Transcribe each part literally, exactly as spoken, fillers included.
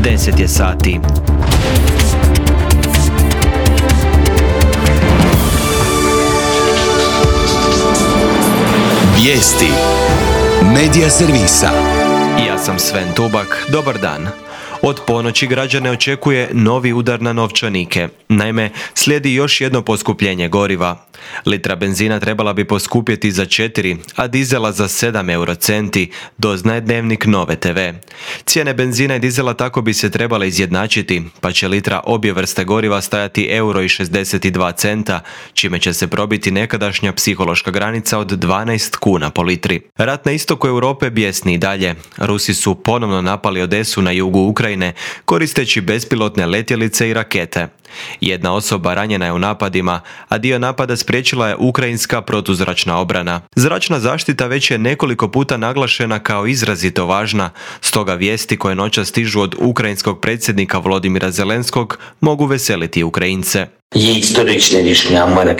deset je sati. Vijesti Medija servisa. Ja sam Sven Tubak, dobar dan. Od ponoći građane očekuje novi udar na novčanike. Naime, slijedi još jedno poskupljenje goriva. Litra benzina trebala bi poskupjeti za četiri, a dizela za sedam eurocenti, doznaje Dnevnik Nove te ve. Cijene benzina i dizela tako bi se trebale izjednačiti, pa će litra obje vrste goriva stajati euro i šezdeset dva centa, čime će se probiti nekadašnja psihološka granica od dvanaest kuna po litri. Rat na istoku Europe bijesni i dalje. Rusi su ponovno napali Odesu na jugu Ukrajine, koristeći bespilotne letjelice i rakete. Jedna osoba ranjena je u napadima, a dio napada spriječila je ukrajinska protuzračna obrana. Zračna zaštita već je nekoliko puta naglašena kao izrazito važna, stoga vijesti koje noćas stižu od ukrajinskog predsjednika Volodimira Zelenskog mogu veseliti Ukrajince.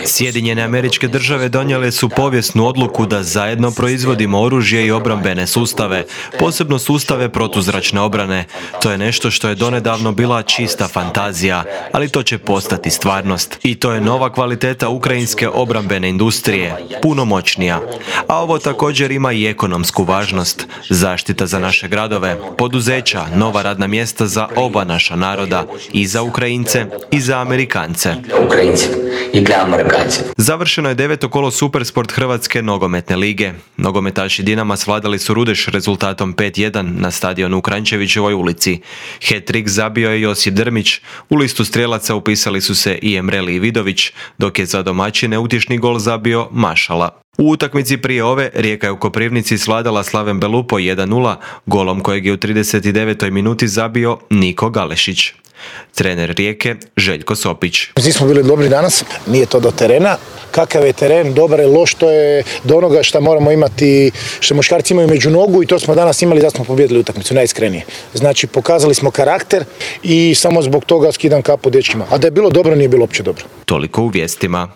Sjedinjene Američke Države donijele su povijesnu odluku da zajedno proizvodimo oružje i obrambene sustave, posebno sustave protuzračne obrane. To je nešto što je donedavno bila čista fantazija, ali to će postati stvarnost. I to je nova kvaliteta ukrajinske obrambene industrije, puno moćnija. A ovo također ima i ekonomsku važnost. Zaštita za naše gradove, poduzeća, nova radna mjesta za oba naša naroda, i za Ukrajince i za Amerikance. Završeno je deveto kolo Supersport Hrvatske nogometne lige. Nogometaši Dinama svladali su Rudeš rezultatom pet jedan na stadionu u Kranjčevićevoj ulici. Hat-trick zabio je Josip Drmić, u listu strijelaca upisali su se i Emreli i Vidović, dok je za domaćine utješni gol zabio Mašala. U utakmici prije ove Rijeka je u Koprivnici svladala Slaven Belupo jedan nula, golom kojeg je u trideset devetoj minuti zabio Niko Galešić. Trener Rijeke Željko Sopić. Nismo bili dobri danas, nije to do terena. Kakav je teren, dobar je, loš, to je do onoga što moramo imati, što muškarci imaju među nogu, i to smo danas imali da smo pobijedili utakmicu, najiskrenije. Znači, pokazali smo karakter i samo zbog toga skidam kapu dečkima. A da je bilo dobro, nije bilo uopće dobro. Toliko u vijestima.